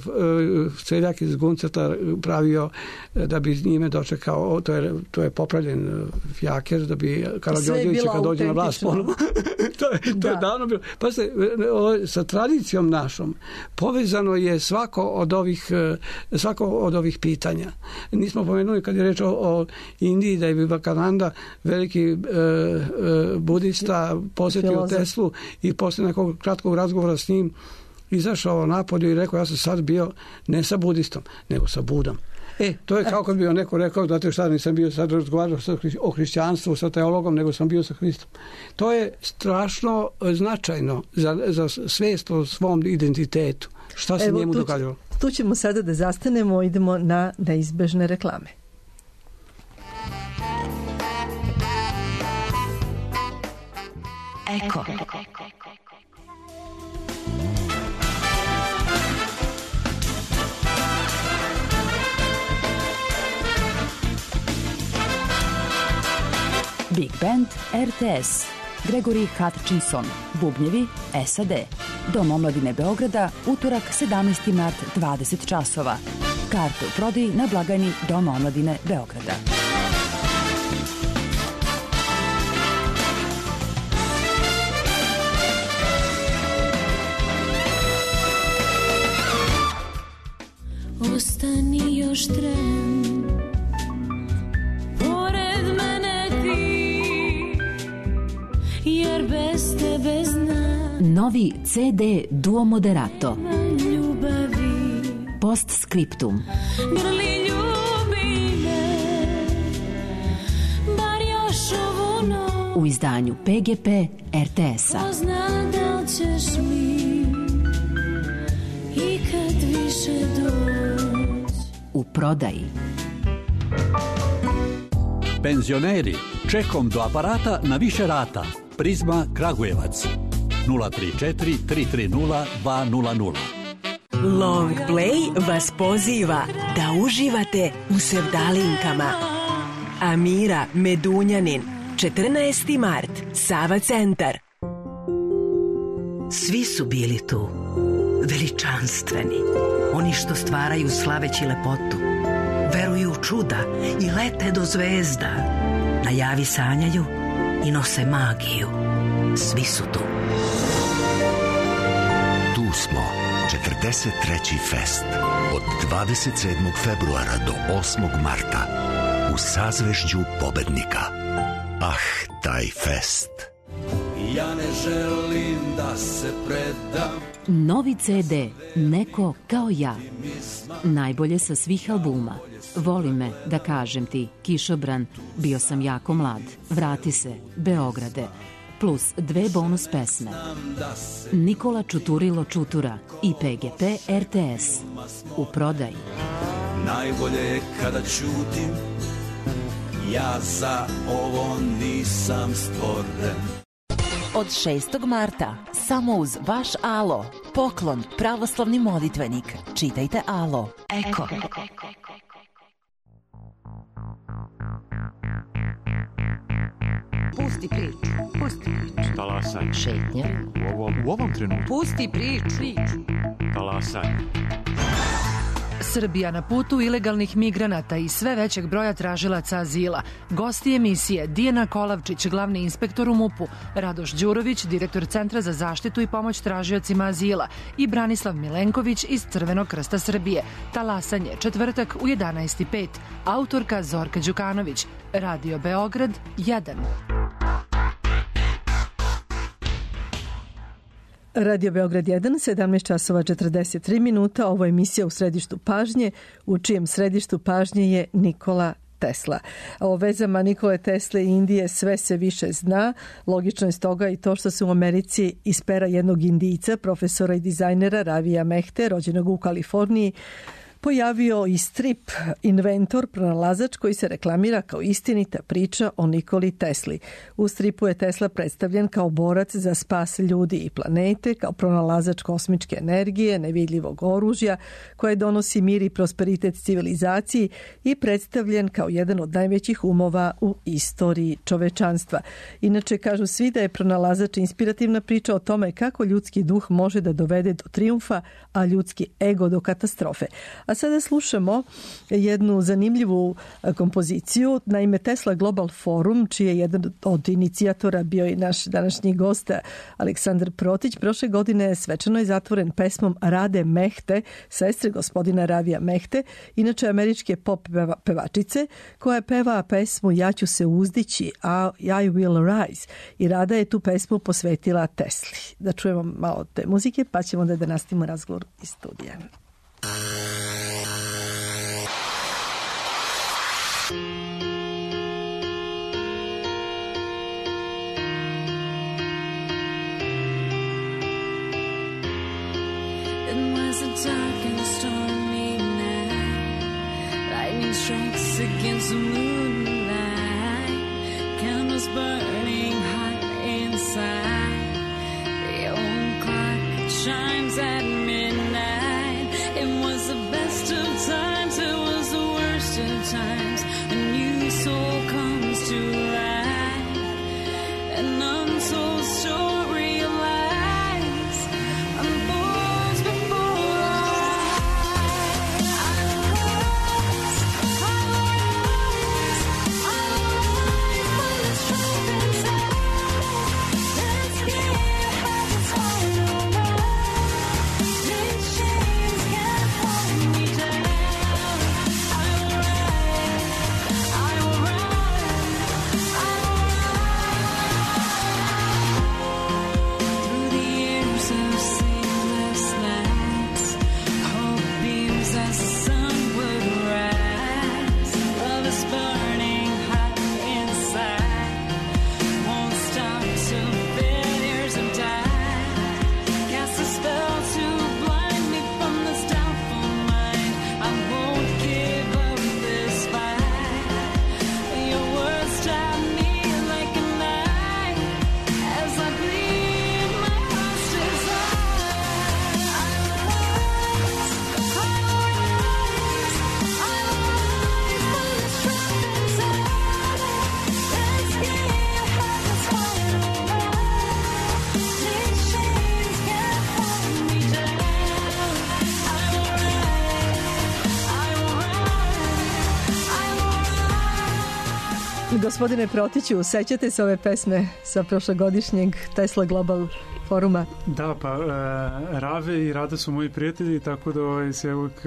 seljak iz Gunceta pravio da bi njime dočekao, to je popravljen Fjaker da bi Karađorđević kad dođe na vlast ponovo. to je davno bilo. Pa sa tradicijom našom povezano je svako od ovih pitanja. Nismo pomenuli kad je reč o Indiji da je Vivekananda, veliki budista, posjetio Teslu i poslije nekog kratkog razgovora s njim izašao napolje i rekao, ja sam sad bio ne sa budistom, nego sa Budom. To je kao kad bi neko rekao, znate šta, nisam bio sad razgovarao o hrišćanstvu sa teologom, nego sam bio sa Hristom. To je strašno značajno za svijest o svom identitetu. Šta se njemu događalo? Tu ćemo sada da zastanemo, idemo na neizbežne reklame. Eko. Big Band RTS, Gregory Hutchinson, bubnjevi SAD. Dom omladine Beograda, utorak 17. mart 20 časova. Karte u prodaji na blagajni Doma omladine Beograda. Ostani još tren, pored mene ti, jer bez tebe znam. Novi CD Duo Moderato. Ljubavi. Postscriptum. Grli ljubi me, bar još ovu noć. U izdanju PGP RTS-a. Ko zna da li ćeš mi ikad više doći. U prodaji. Penzioneri, čekom do aparata na više rata. Prizma Kragujevac 034 330 200. Long Play vas poziva da uživate u sevdalinkama. Amira Medunjanin, 14. mart, Sava centar. Svi su bili tu, veličanstveni, oni što stvaraju slaveći lepotu, veruju u čuda i lete do zvezda, na javi sanjaju i nose magiju. Svi su tu. Tu smo, 43. fest, od 27. februara do 8. marta, u sazvežđu pobednika. Ah, taj fest. ja ne želim da se predam. Novi CD Neko kao ja. Najbolje sa svih albuma. Voli me, da kažem ti, Kišobran, bio sam jako mlad, vrati se, Beograde, plus 2 bonus pesme. Nikola Čuturilo Čutura i PGP RTS. U prodaji. Najbolje je kada ćutim, ja za ovo nisam stvoren. Od 6. marta, samo uz vaš Alo, poklon pravoslavni molitvenik. Čitajte Alo. Eko. Pusti priču. Pusti priču. Talasanje. Šetnja. U ovom trenutku. Pusti priču. Talasanje. Srbija na putu ilegalnih migranata i sve većeg broja tražilaca azila. Gosti emisije Dijana Kolavčić, glavni inspektor u MUP-u, Radoš Đurović, direktor Centra za zaštitu i pomoć tražiocima azila i Branislav Milenković iz Crvenog krsta Srbije. Talasanje, četvrtak u 11:05. Autorka Zorka Đukanović. Radio Beograd 1. Radio Beograd 1, 17 časova 43 minuta. Ovo je emisija u središtu pažnje, u čijem središtu pažnje je Nikola Tesla. O vezama Nikole Tesle i Indije sve se više zna. Logično je stoga i to što se u Americi iz pera jednog Indijca, profesora i dizajnera Ravija Mehte, rođenog u Kaliforniji, pojavio i strip Inventor, pronalazač, koji se reklamira kao istinita priča o Nikoli Tesli. U stripu je Tesla predstavljen kao borac za spas ljudi i planete, kao pronalazač kosmičke energije, nevidljivog oružja koje donosi mir i prosperitet civilizaciji i predstavljen kao jedan od najvećih umova u istoriji čovečanstva. Inače, kažu svi da je pronalazač inspirativna priča o tome kako ljudski duh može da dovede do trijumfa, a ljudski ego do katastrofe. A sada slušamo jednu zanimljivu kompoziciju. Naime, Tesla Global Forum, čiji je jedan od inicijatora bio i naš današnji gost Aleksandar Protić, prošle godine svečano je zatvoren pesmom Rade Mehte, sestre gospodina Ravija Mehte, inače američke pop pevačice, koja peva pesmu Ja ću se uzdići, a I will rise. I Rada je tu pesmu posvetila Tesli. Da čujemo malo te muzike, pa ćemo da nastavimo razgovor iz studija. Dark and stormy night, lightning strikes against the moonlight, candles burning hot inside, the old clock chimes at midnight. It was the best of times, it was the worst of times. A new soul comes to life, an untold story of lies unfolds before our eyes. I will rise when the trumpets sound. Let's get heaven's final word. These chains can't hold me down. I will rise, I will rise, I will rise. Through the years of sleepless nights, hope beams as the sun would rise. Love is burning hot inside, won't stop till failures have died. Cast a spell to blind me from this doubtful mind. I won't give up this fight. Your words stab me like a knife as I bleed my heart's desire. I will rise, I will rise, I will rise when the trumpets sound. Let's get heaven's final word. These chains can't hold me down. I will rise, I will rise, I will rise. Gospodine Protiću, sećate se ove pesme sa prošlogodišnjeg Tesla Global foruma. Da, pa Rave i Rada su moji prijatelji, tako da se uvijek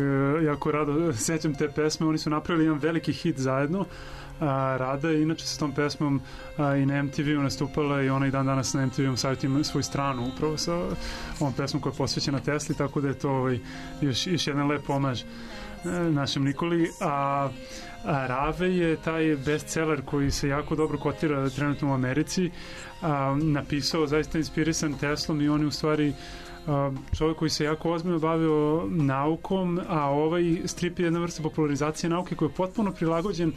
jako rado sećam te pesme. Oni su napravili jedan veliki hit zajedno. Rada je inače sa tom pesmom i na MTV-u nastupala i ona i dan danas na MTV-u sajtu ima svoju stranu upravo sa ovom pesmom koja je posvećena Tesli, tako da je to još jedan lep omaž našem Nikoli. A Rave je taj bestseller koji se jako dobro kotira trenutno u Americi, napisao zaista inspirisan Teslom i on je u stvari čovjek koji se jako ozbiljno bavio naukom, a ovaj strip je jedna vrsta popularizacije nauke koji je potpuno prilagođen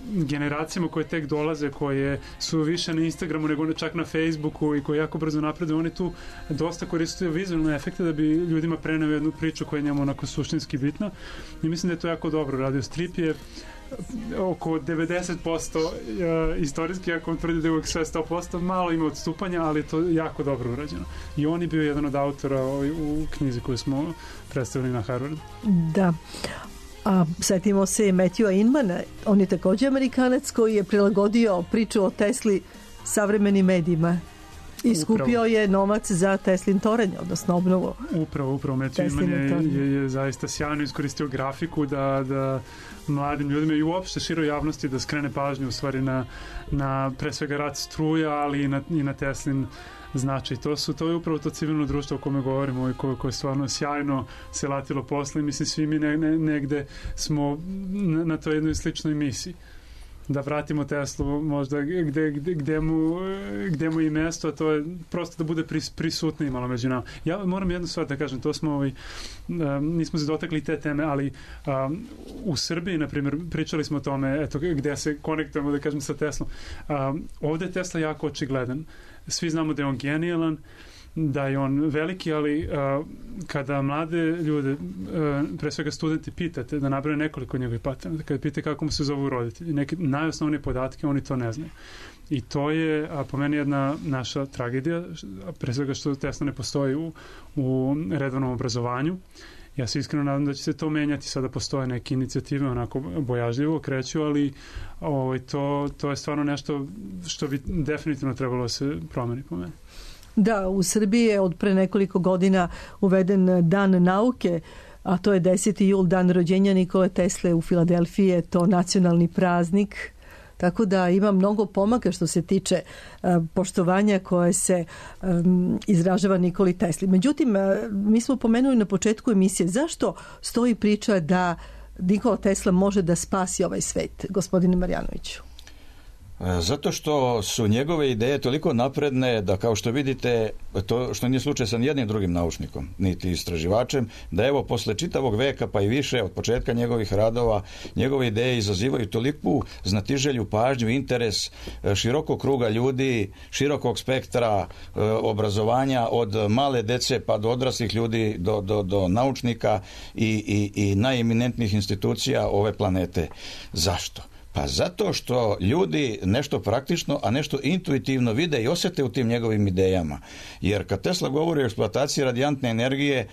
generacijama koje tek dolaze, koje su više na Instagramu nego čak na Facebooku i koje jako brzo napreduju. Oni tu dosta koriste vizualne efekte da bi ljudima preneo jednu priču koja je njemu onako suštinski bitna i mislim da je to jako dobro radio. Strip je oko 90% istorijski, ako on tvrdi da je uvijek sve 100%, malo ima odstupanja, ali je to jako dobro urađeno. I on je bio jedan od autora u knjizi koju smo predstavili na Harvardu. Da. A setimo se Matthewa Inmana, on je također Amerikanac koji je prilagodio priču o Tesli savremenim medijima. I skupio je novac za Teslin toranj, odnosno obnovu. Upravo. Matthew Inman je zaista sjajno iskoristio grafiku da mladim ljudima i uopšte široj javnosti da skrene pažnju u stvari na pre svega rad struja, ali i na Teslin značaj. To je upravo to civilno društvo o kome govorimo i koje stvarno sjajno se latilo posle i mislim svi mi negde smo na toj jednoj sličnoj misiji. Da vratimo Teslu možda gde mu i mesto, a to je prosto da bude prisutni malo među nama. Ja moram jednu stvar da kažem, to smo nismo se dotakli te teme, ali u Srbiji, na primjer, pričali smo o tome, eto, gde se konektujemo, da kažem, sa Teslom. Ovde je Tesla jako očigledan. Svi znamo da je on genijalan, da je on veliki, ali kada mlade ljude, pre svega studenti, pitate da nabraju nekoliko njegovih patenata, kada pitate kako mu se zovu roditelji, neke najosnovnije podatke, oni to ne znaju. I to je, po meni, jedna naša tragedija, pre svega što Tesla ne postoji u redovnom obrazovanju. Ja se iskreno nadam da će se to menjati, sada postoje neke inicijative onako bojažljivo kreću, ali to je stvarno nešto što bi definitivno trebalo se promeni po meni. Da, u Srbiji je od pre nekoliko godina uveden Dan nauke, a to je 10. jul, dan rođenja Nikole Tesle. U Filadelfiji je to nacionalni praznik, tako da ima mnogo pomaka što se tiče poštovanja koje se izražava Nikoli Tesli. Međutim, mi smo pomenuli na početku emisije zašto stoji priča da Nikola Tesla može da spasi ovaj svet, gospodine Marjanoviću. Zato što su njegove ideje toliko napredne da, kao što vidite, to što nije slučaj sa nijednim drugim naučnikom, niti istraživačem, da evo posle čitavog veka pa i više od početka njegovih radova, njegove ideje izazivaju toliku znatiželju, pažnju, interes širokog kruga ljudi, širokog spektra obrazovanja, od male dece pa do odraslih ljudi, do naučnika i najeminentnijih institucija ove planete. Zašto? Pa zato što ljudi nešto praktično, a nešto intuitivno vide i osjete u tim njegovim idejama. Jer kad Tesla govori o eksploataciji radijantne energije,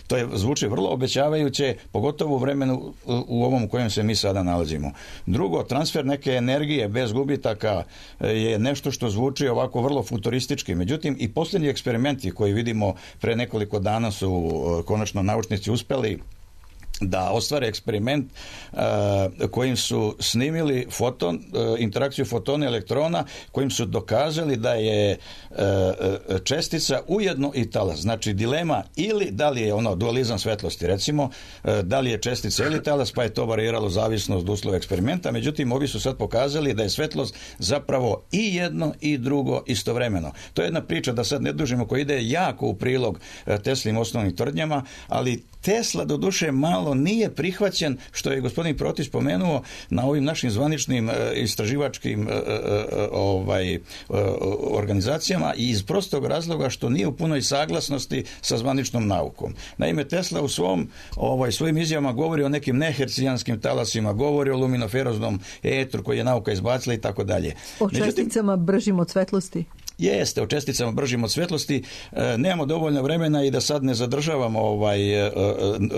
to zvuči vrlo obećavajuće, pogotovo u vremenu u ovom u kojem se mi sada nalazimo. Drugo, transfer neke energije bez gubitaka je nešto što zvuči ovako vrlo futuristički. Međutim, i posljednji eksperimenti koji vidimo pre nekoliko dana su konačno naučnici uspeli da ostvare eksperiment kojim su snimili interakciju fotona i elektrona, kojim su dokazali da je čestica ujedno i talas. Znači dilema ili da li je dualizam svetlosti, recimo, da li je čestica ili talas, pa je to variralo zavisno od uslova eksperimenta. Međutim, ovi su sad pokazali da je svetlost zapravo i jedno i drugo istovremeno. To je jedna priča, da sad ne dužimo, koja ide jako u prilog Teslinim osnovnim tvrdnjama, ali Tesla doduše malo nije prihvaćen, što je gospodin Protić spomenuo, na ovim našim zvaničnim istraživačkim organizacijama, i iz prostog razloga što nije u punoj saglasnosti sa zvaničnom naukom. Naime, Tesla u svojim izjavama govori o nekim nehercijanskim talasima, govori o luminoferoznom etru koji je nauka izbacila i tako dalje. O česticama bržim od svetlosti. Jeste, o česticama bržim od svetlosti. Nemamo dovoljno vremena i da sad ne zadržavamo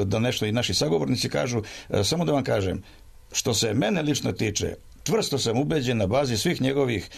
da nešto i naši sagovornici kažu. Samo da vam kažem, što se mene lično tiče, čvrsto sam ubeđen na bazi svih njegovih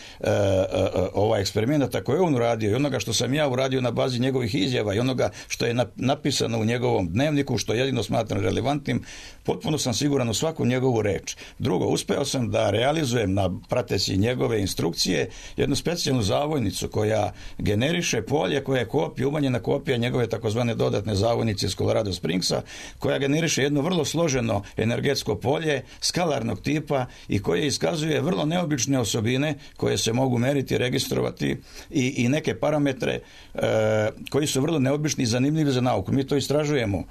eksperimenata koje je on uradio i onoga što sam ja uradio na bazi njegovih izjava i onoga što je napisano u njegovom dnevniku, što jedino smatram relevantnim, potpuno sam siguran u svaku njegovu reč. Drugo, uspeo sam da realizujem, prateći njegove instrukcije, jednu specijalnu zavojnicu koja generiše polje koje je kopija, umanjena kopija njegove takozvane dodatne zavojnice iz Colorado Springsa, koja generiše jedno vrlo složeno energetsko polje skalarnog tipa i koje iskazuje vrlo neobične osobine koje se mogu meriti, registrovati i neke parametre koji su vrlo neobični i zanimljivi za nauku. Mi to istražujemo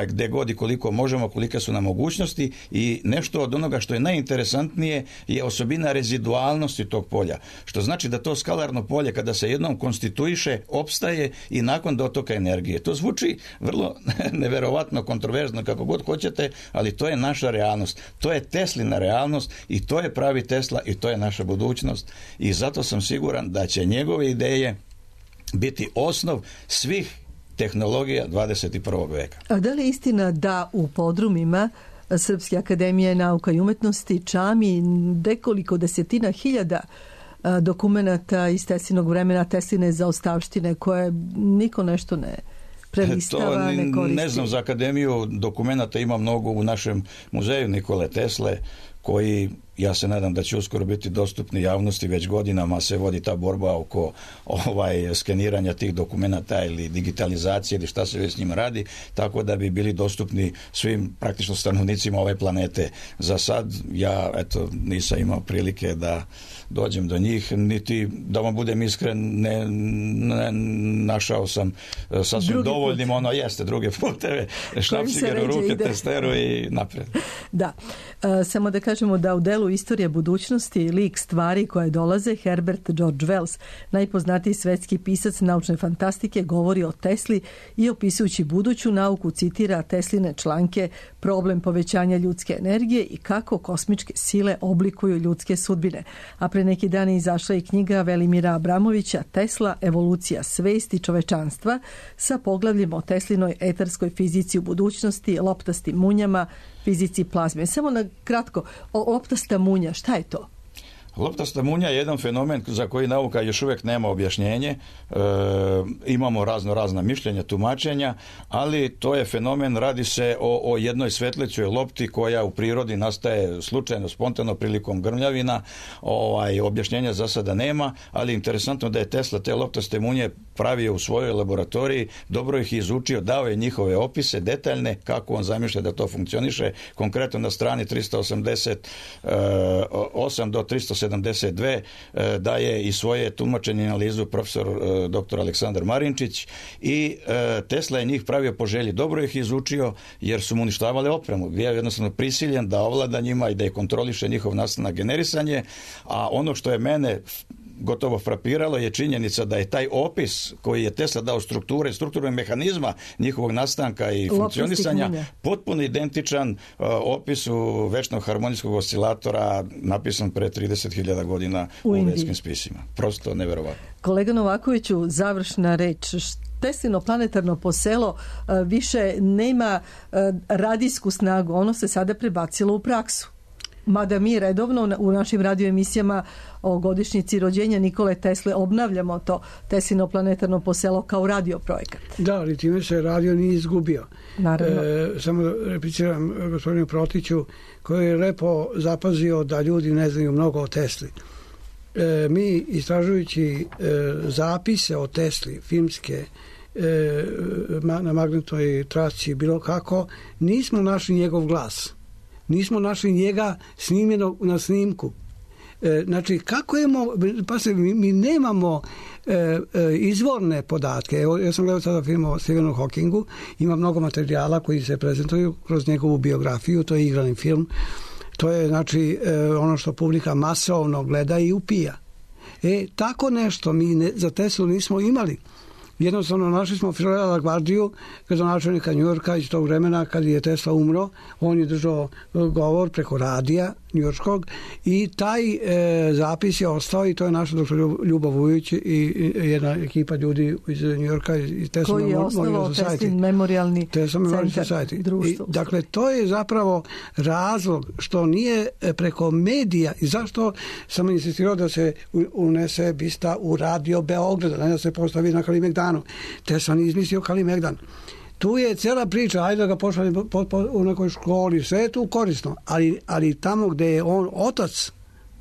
gde god i koliko možemo, kolike su nam mogućnosti i nešto od onoga što je najinteresantnije je osobina rezidualnosti tog polja. Što znači da to skalarno polje kada se jednom konstituiše, opstaje i nakon dotoka energije. To zvuči vrlo neverovatno, kontroverzno, kako god hoćete, ali to je naša realnost. To je Teslina realnost i to je pravi Tesla i to je naša budućnost. I zato sam siguran da će njegove ideje biti osnov svih tehnologija 21. veka. A da li je istina da u podrumima Srpske akademije nauka i umetnosti čami nekoliko desetina hiljada dokumenata iz Teslinog vremena, Tesline zaostavštine koje niko nešto ne prelistava, ne koristi? Ne znam, za akademiju dokumenata ima mnogo u našem muzeju Nikole Tesle, koji, ja se nadam da će uskoro biti dostupni javnosti, već godinama se vodi ta borba oko skeniranja tih dokumenata ili digitalizacije ili šta se već s njima radi, tako da bi bili dostupni svim praktično stanovnicima ove planete. Za sad ja nisam imao prilike da dođem do njih, niti da vam budem iskren, ne našao sam sasvim dovoljnim, druge puteve, šnapsiger u ruke, testeru i napred. Da, samo da kažemo da u delu Istorije budućnosti lik stvari koje dolaze, Herbert George Wells, najpoznatiji svetski pisac naučne fantastike, govori o Tesli i opisujući buduću nauku citira Tesline članke Problem povećanja ljudske energije i kako kosmičke sile oblikuju ljudske sudbine. A pre neki dan je izašla i knjiga Velimira Abramovića Tesla, evolucija svesti čovečanstva sa poglavljem o Teslinoj etarskoj fizici u budućnosti, loptastim munjama, fizici plazme. Samo na kratko, loptasta munja, šta je to? Loptasta munja je jedan fenomen za koji nauka još uvijek nema objašnjenje. Imamo razna mišljenja, tumačenja, ali to je fenomen, radi se o jednoj svetlećoj lopti koja u prirodi nastaje slučajno, spontano prilikom grmljavina. Objašnjenja za sada nema, ali interesantno da je Tesla te loptaste munje pravio u svojoj laboratoriji, dobro ih izučio, dao je njihove opise detaljne, kako on zamišlja da to funkcioniše. Konkretno na strani 388 do 372 daje i svoje tumačenje i analizu profesor dr. Aleksandar Marinčić i Tesla je njih pravio po želji. Dobro ih izučio jer su mu uništavale opremu. Bio je jednostavno prisiljen da ovlada njima i da je kontroliše njihov nastanak, generisanje, a ono što je mene gotovo frapiralo je činjenica da je taj opis koji je Tesla dao strukturnog mehanizma njihovog nastanka i funkcionisanja potpuno identičan opisu večnog harmonijskog oscilatora napisan pre 30.000 godina u vedskim spisima. Prosto neverovatno. Kolega Novakoviću, završna reč. Teslino planetarno poselo više nema radijsku snagu, ono se sada prebacilo u praksu. Mada mi redovno u našim radioemisijama o godišnjici rođenja Nikole Tesle obnavljamo to Teslino planetarno poselo kao radio projekat. Da, ali time se radio nije izgubio. Naravno. Samo repliciram gospodinu Protiću koji je lepo zapazio da ljudi ne znaju mnogo o Tesli. Mi istražujući zapise o Tesli, filmske, na magnetnoj trasci, bilo kako, nismo našli njegov glas. Nismo našli njega snimljenog na snimku. Znači, kako je mi nemamo izvorne podatke. Evo, ja sam gledao sada film o Stephenu Hawkingu, ima mnogo materijala koji se prezentuju kroz njegovu biografiju, to je igrani film. To je, znači, ono što publika masovno gleda i upija. Tako nešto mi za Teslu nismo imali. Jednostavno našli smo Firela LaGuardiu, gradonačelnika Njujorka iz tog vremena kad je Tesla umro. On je držao govor preko radija njujorškog, i taj zapis je ostao i to je naš doktor Ljubav Vujić i jedna ekipa ljudi iz Njujorka i Tesla koji je osnovao Teslin memorialni centar društvo. Dakle, to je zapravo razlog što nije preko medija i zašto sam insistirao da se unese bista u radio Beograda, ne da se postavi na Kalimegdanu. Tesla nije izmislio Kalimegdan. Tu je cijela priča, ajde da ga pošalje u nekoj školi, sve je tu korisno, ali tamo gde je on otac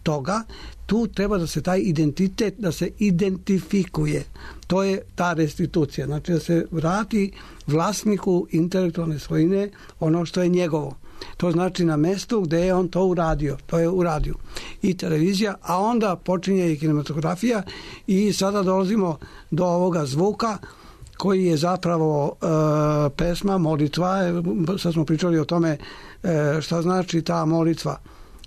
toga, tu treba da se taj identitet, da se identifikuje. To je ta restitucija, znači da se vrati vlasniku intelektualne svojine ono što je njegovo. To znači na mestu gde je on to uradio, to je u radiju i televizija, a onda počinje i kinematografija i sada dolazimo do ovoga zvuka koji je zapravo pesma, molitva. Sad smo pričali o tome šta znači ta molitva.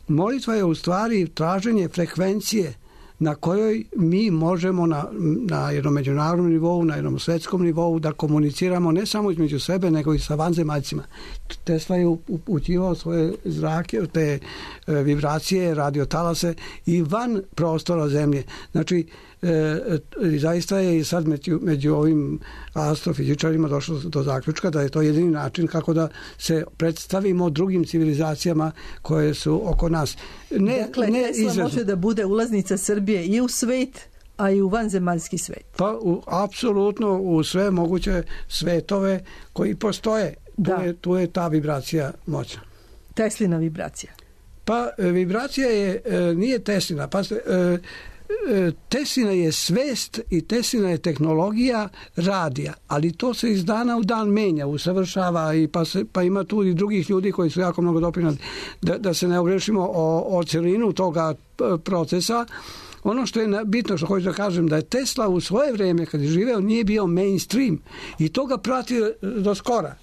Molitva je u stvari traženje frekvencije na kojoj mi možemo na jednom međunarodnom nivou, na jednom svetskom nivou da komuniciramo ne samo između sebe, nego i sa vanzemaljcima. Tesla je upućivao svoje zrake, te vibracije, radiotalase i van prostora Zemlje. Znači, zaista je i sad među ovim astrofizičarima došlo do zaključka da je to jedini način kako da se predstavimo drugim civilizacijama koje su oko nas. Dakle, Tesla može da bude ulaznica Srbije i u svet, a i u vanzemaljski svet. Pa apsolutno u sve moguće svetove koji postoje. Tu je ta vibracija moćna. Teslina vibracija. Pa vibracija nije Teslina. Pa Teslina je svest i Teslina je tehnologija radija, ali to se iz dana u dan menja, usavršava i pa ima tu i drugih ljudi koji su jako mnogo doprinali da se ne ogrešimo o celinu toga procesa. Ono što je bitno, što hoću da kažem, da je Tesla u svoje vrijeme kad je živeo nije bio mainstream i to ga prati do skora.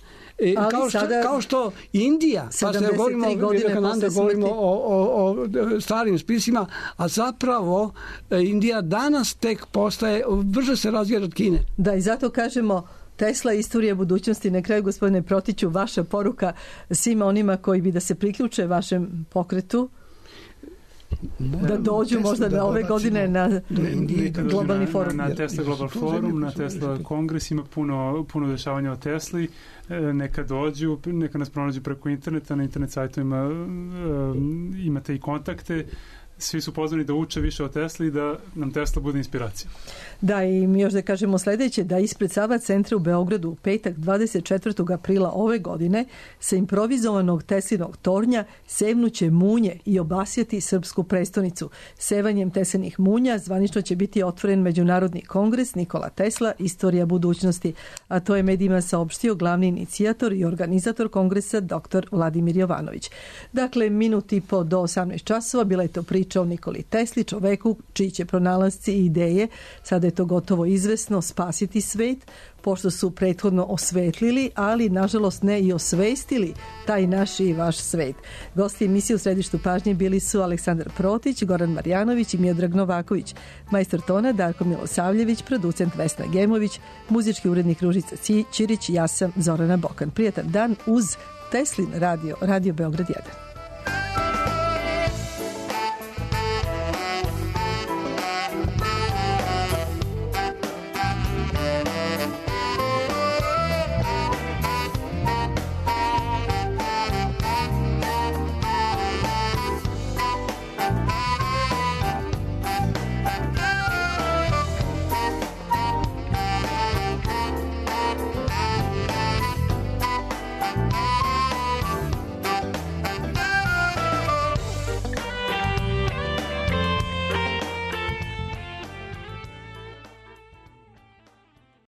Kao što Indija, pa se govorimo o starim spisima, a zapravo Indija danas tek postaje, brže se razvija od Kine. Da, i zato kažemo Tesla, istorija budućnosti. Na kraju, gospodine Protiću, vaša poruka svima onima koji bi da se priključe vašem pokretu, da dođu možda na ove godine na globalni forum. Na Tesla Global Forum, na Tesla Kongres, ima puno dešavanja o Tesli. Neka dođu, neka nas pronađu preko interneta, na internet sajtovima imate i kontakte. Svi su pozvani da uče više o Tesli i da nam Tesla bude inspiracija. Da, i mi još da kažemo sljedeće, da ispred Sava centra u Beogradu u petak 24. aprila ove godine sa improvizovanog Teslinog tornja sevnuće munje i obasjati srpsku prestonicu. Sevanjem Teslinih munja zvanično će biti otvoren Međunarodni kongres Nikola Tesla, istorija budućnosti, a to je medijima saopštio glavni inicijator i organizator kongresa dr. Vladimir Jovanović. Dakle, minut i po do 18 časova bila je to priča o Nikoli Tesli, čoveku čiji će pronalasci i ideje, sada je to gotovo izvesno, spasiti svet, pošto su prethodno osvetlili, ali nažalost ne i osvestili taj naš i vaš svet. Gosti emisije u središtu pažnje bili su Aleksandar Protić, Goran Marjanović i Miodrag Novaković, majstor tona Darko Milosavljević, producent Vesna Gemović, muzički urednik Ružica Ćirić, ja sam Zorana Bokan. Prijatan dan uz Teslin radio Beograd 1.